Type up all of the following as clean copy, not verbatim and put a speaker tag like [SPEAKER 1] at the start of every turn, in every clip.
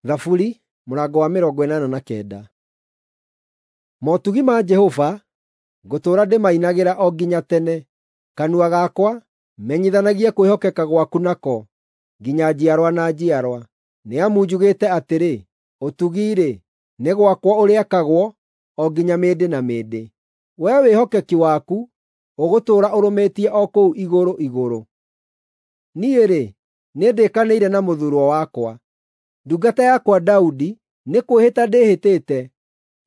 [SPEAKER 1] Thaburi mũrango wa 89. Motugi ma Jehova ngũtũũra ndĩmainagĩra o nginya tene. Kanua gakwa menyithanagie kwĩhokeka gwaku nako nginya njiarwa na njiarwa. Nĩ amu njugĩte atĩrĩ, ũtugi-rĩ, nĩ gwakwa ũrĩakagwo o nginya mĩndĩ na mĩndĩ. Wee wĩhokeki waku ũgũtũũra ũrũmĩtie o kũu igũrũ igũrũ. Niĩ-rĩ, nĩndĩkanĩire na mũthuurwo wakwa, ndungata yakwa Daudi nĩ kwĩhĩta ndĩhĩtĩte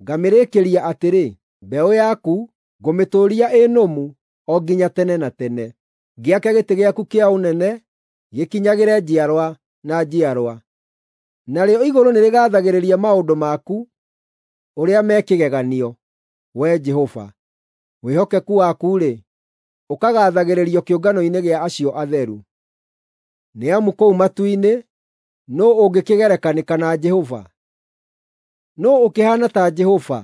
[SPEAKER 1] ngamĩrĩkĩria atĩrĩ, mbeũ yaku ngũmĩtũũria ĩ nũmu o nginya tene na tene, ngĩake gĩtĩ gĩaku kĩa ũnene gĩkinyagĩre njiarwa na njiarwa. Narĩo igũrũ nĩrĩgaathagĩrĩria maũndũ maku ũrĩa me kĩgeganio, Wee Jehova. Wĩhokeku waku-rĩ, ũkagaathagĩrĩrio kĩũngano-inĩ gĩa acio atheru. Nĩ amu kũu matu-inĩ nũũ ũngĩkĩgerekanĩka na Jehova? Nũũ ũkĩhaana ta Jehova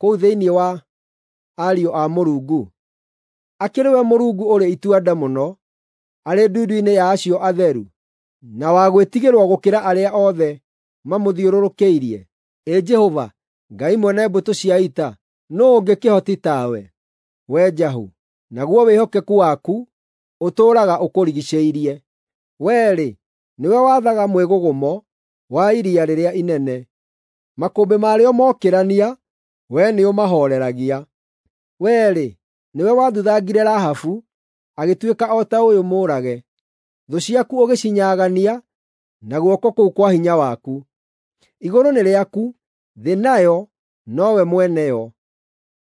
[SPEAKER 1] kũu thĩinĩ wa ariũ a Mũrungu? Akĩrĩ we Mũrungu ũrĩ itua-nda mũno, arĩ ndundu-inĩ ya acio atheru, na wa gwĩtigĩrwo gũkĩra arĩa othe mamũthiũrũrũkĩirie. Ĩ Jehova, Ngai mwene mbũtũ cia ita, nũũ ũngĩ kĩhoti tawe, Wee Jahu? Naguo wĩhokeku waku ũtũũraga ũkũrigiicĩirie. Wee-rĩ, nĩwe wathaga mwĩgũgũmo wa iria rĩrĩa inene. Makũmbĩ marĩo mookĩrania, wee nĩũmahooreragia. Wee-rĩ, nĩwe wathuthangire Rahabu, agĩtuĩka o ta ũyũ mũũrage. Thũ ciaku ũgĩcinyaagania na guoko kũu kwa hinya waku. Igũrũ nĩ rĩaku, thĩ nayo nowe mwene yo.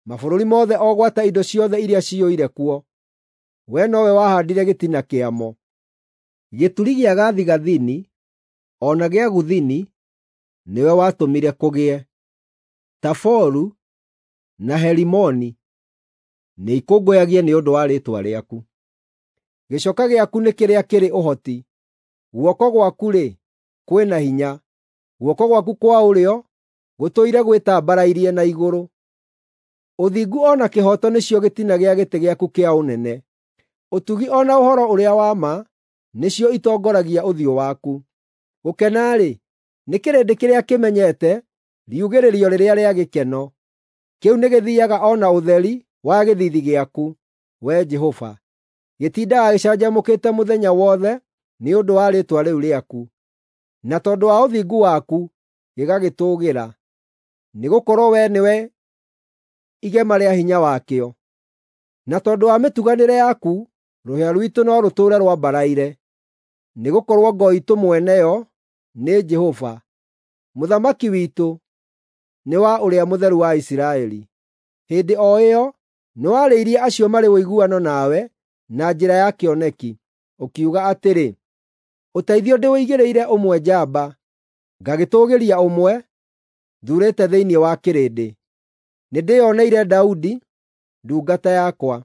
[SPEAKER 1] Mabũrũri mothe o gwata indo ciothe iria ciyũire kuo. Wee nowe wahaandire gĩtina kĩamo. Gĩturi gĩa gathigathini o na gĩa gũthini nĩwe watũmire kũgĩe. Taboru na Herimoni nĩikũngũyagie nĩ ũndũ wa rĩĩtwa rĩaku. Gĩcoka gĩaku nĩ kĩrĩa kĩrĩ ũhoti. Guoko gwaku-rĩ, kwĩ na hinya. Guoko gwaku kwa ũrĩo gũtũire gwĩtambarairie na igũrũ. Ũthingu o na kĩhooto nĩcio gĩtina gĩa gĩtĩ gĩaku kĩa ũnene. Ũtugi o na ũhoro ũrĩa wa ma nĩcio itongoragia ũthiũ waku. Gũkena-rĩ, nĩ kĩrĩndĩ kĩrĩa kĩmenyete riugĩrĩrio rĩrĩa rĩa gĩkeno. Kĩu nĩgĩthiiaga o na ũtheri wa gĩthiithi gĩaku, Wee Jehova. Gĩtindaga gĩcanjamũkĩte mũthenya wothe nĩ ũndũ wa rĩĩtwa rĩu rĩaku, na tondũ wa ũthingu waku gĩgagĩtũũgĩra. Nĩgũkorwo Wee nĩwe igema rĩa hinya wakĩo. Na tondũ wa mĩtuganĩre yaku, rũhĩa rwitũ no rũtũũre rwambaraire. Nĩgũkorwo ngo iitũ mwene yo nĩ Jehova, mũthamaki witũ nĩ wa Ũrĩa Mũtheru wa Isiraeli. Hĩndĩ o ĩyo nĩwarĩirie acio marĩ ũiguano nawe na njĩra ya kĩoneki, ũkiuga atĩrĩ, “Ũteithio ndĩũigĩrĩire ũmwe njamba, ngagĩtũũgĩria ũmwe thuurĩte thĩinĩ wa kĩrĩndĩ. Nĩndĩĩoneire Daudi, ndungata yakwa,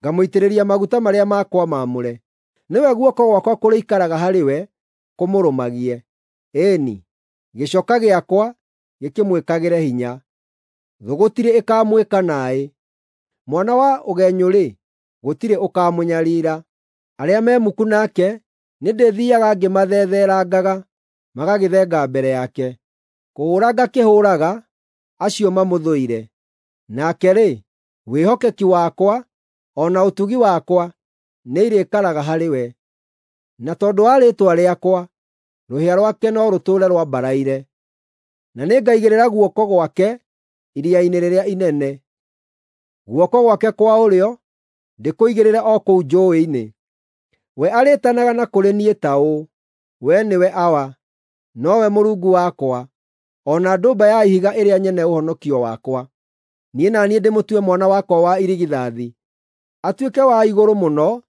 [SPEAKER 1] ngamũitĩrĩria maguta marĩa makwa maamũre. Nĩwe guoko gwakwa kũrĩikaraga harĩ we kũmũrũmagie. Ĩĩ-ni, gĩcoka gĩakwa gĩkĩmwĩkagĩre hinya. Thũ gũtirĩ ĩkaamwĩka naaĩ. Mwana wa ũgenyũ-rĩ, gũtirĩ ũkaamũnyariira. Arĩa me muku nake nĩndĩthiiaga ngĩmathetherangaga, magagĩthenga mbere yake. Kũhũũra ngakĩhũũraga acio mamũthũire. Nake-rĩ, wĩhokeki wakwa o na ũtugi wakwa nĩirĩikaraga harĩ we. Na tondũ wa rĩĩtwa rĩakwa, rũhĩa rwake no rũtũũre rwambaraire. Na nĩngaigĩrĩra guoko gwake iria-inĩ rĩrĩa inene, guoko gwake kwa ũrĩo ndĩkũigĩrĩre o kũu njũũĩ-inĩ. We arĩĩtanaga na kũrĩ niĩ ta ũũ, ‘Wee nĩwe Awa, nowe Mũrungu wakwa, o na ndũmba ya ihiga ĩrĩa nyene ũhonokio wakwa.’ Niĩ na niĩ ndĩmũtue mwana wakwa wa irigithathi, atuĩke wa igũrũ mũno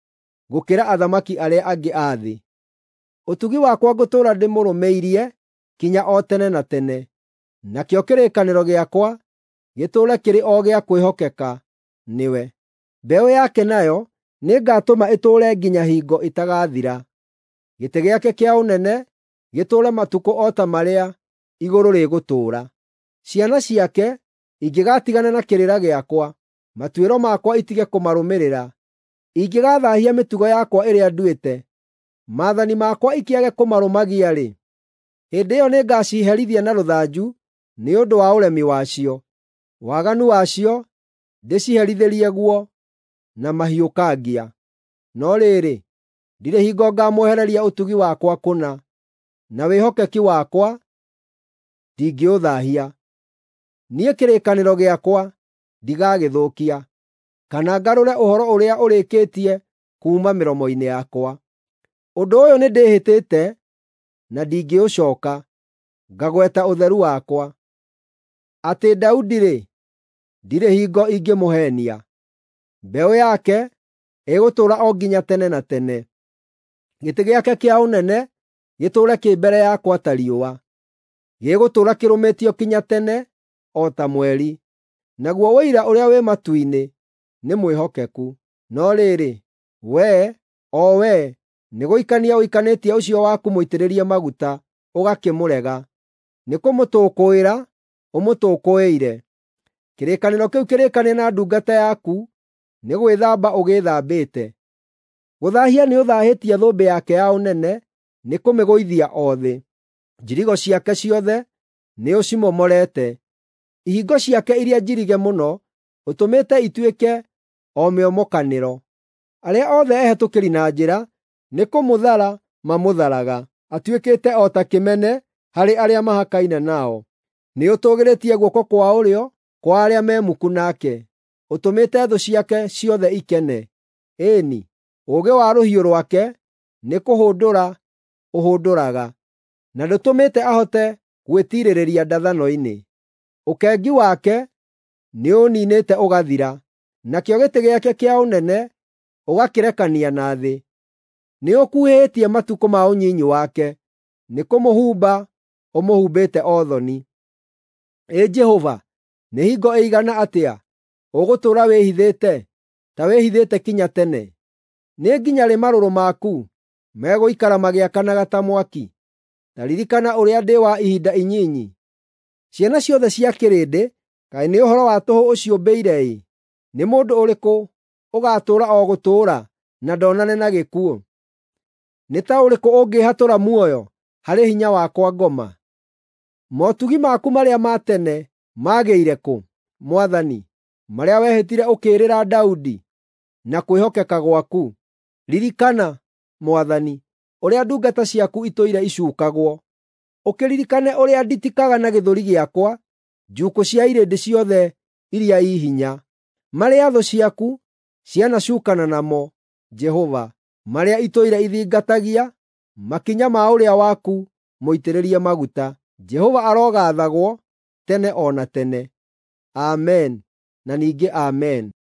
[SPEAKER 1] gũkĩra athamaki arĩa angĩ a thĩ. Ũtugi wakwa ngũtũũra ndĩmũrũmĩirie kinya o tene na tene, nakĩo kĩrĩkanĩro gĩakwa gĩtũũre kĩrĩ o gĩa kwĩhokeka nĩwe. Mbeũ yake nayo nĩngatũma ĩtũũre nginya hingo ĩtagathira, gĩtĩ gĩake kĩa ũnene gĩtũũre matukũ o ta marĩa igũrũ rĩgũtũũra. Ciana ciake ingĩgatigana na kĩrĩra gĩakwa, matuĩro makwa itige kũmarũmĩrĩra, ingĩgaathaahia mĩtugo yakwa ĩrĩa nduĩte, maathani makwa ikĩage kũmarũmagia-rĩ, Hĩndĩ ĩyo nĩngaciherithia na rũthanju nĩ ũndũ wa ũremi wacio. Waganu wacio ndĩciherithĩrie guo na mahiũkangia. No rĩrĩ, ndirĩ hingo ngaamwehereria ũtugi wakwa kũna, na wĩhokeki wakwa ndingĩũthaahia. Niĩ kĩrĩkanĩro gĩakwa ndigagĩthũkia, kana ngarũre ũhoro ũrĩa ũrĩkĩtie kuuma mĩromo-inĩ yakwa. Ũndũ ũyũ nĩndĩhĩtĩte na ndingĩũcooka, ngagweta ũtheru wakwa. Atĩ Daudi-rĩ, ndirĩ hingo ingĩmũheenia. Mbeũ yake ĩgũtũũra o nginya tene na tene, gĩtĩ gĩake kĩa ũnene gĩtũũre kĩ mbere yakwa ta riũa. Gĩgũtũũra kĩrũmĩtio kinya tene o ta mweri, naguo ũira ũrĩa wĩ matu-inĩ nĩ mwĩhokeku. No rĩrĩ, wee, o wee, nĩgũikania ũikanĩtie ũcio waku mũitĩrĩrie maguta, ũgakĩmũrega. Nĩkũmũtũkũĩra ũmũtũkũĩire. Kĩrĩkanĩro kĩu kĩrĩkanĩre na ndungata yaku nĩ gwĩthamba ũgĩĩthambĩte. Gũthaahia nĩũthaahĩtie thũmbĩ yake ya ũnene nĩkũmĩgũithia o thĩ. Njirigo ciake ciothe nĩũcimomorete. Ihingo ciake iria njirige mũno ũtũmĩte ituĩke o mĩomokanĩro. Arĩa othe ehetũkĩri na njĩra nĩkũmũthara mamũtharaga. Atuĩkĩte o ta kĩmene harĩ arĩa mahakaine nao. Nĩũtũũgĩrĩtie guoko kwa ũrĩo kwa arĩa me muku nake, ũtũmĩte thũ ciake ciothe ikene. Ĩĩ-ni, ũũgĩ wa rũhiũ rwake nĩkũhũndũra ũhũndũraga, na ndũtũmĩte ahote gwĩtiirĩrĩria ndathano-inĩ. Ũkengi wake nĩũũniinĩte ũgathira, nakĩo gĩtĩ gĩake kĩa ũnene ũgakĩrekania na thĩ. Nĩũkuhĩhĩtie matukũ ma ũnyinyi wake, nĩkũmũhumba ũmũhumbĩte o thoni. Ĩ Jehova, nĩ hingo ĩigana atĩa ũgũtũũra wĩhithĩte, ta wĩhithĩte kinya tene? Nĩ nginya rĩ marũrũ maku megũikara magĩakanaga ta mwaki? Ta ririkana ũrĩa ndĩ wa ihinda inyinyi. Ciana ciothe cia kĩrĩndĩ, kaĩ nĩ ũhoro wa tũhũ ũciũmbĩire-ĩ! Nĩ mũndũ ũrĩkũ ũgaatũũra o gũtũũra na ndonane na gĩkuũ? Nĩ ta ũrĩkũ ũngĩĩhatũra muoyo harĩ hinya wa kwa ngoma? Motugi maku marĩa ma tene maagĩire kũ, Mwathani, marĩa wehĩtire ũkĩĩrĩra Daudi na kwĩhokeka gwaku? Ririkana, Mwathani, ũrĩa ndungata ciaku itũire icuukagwo. Ũkĩririkane ũrĩa nditikaga na gĩthũri gĩakwa njuukũ cia irĩndĩ ciothe iria i hinya, marĩa thũ ciaku cianacuukana namo, Jehova, marĩa itũire ithingatagia makinya ma ũrĩa waku mũitĩrĩrie maguta. Jehova arogaathagwo tene o na tene. Amen na ningĩ Amen.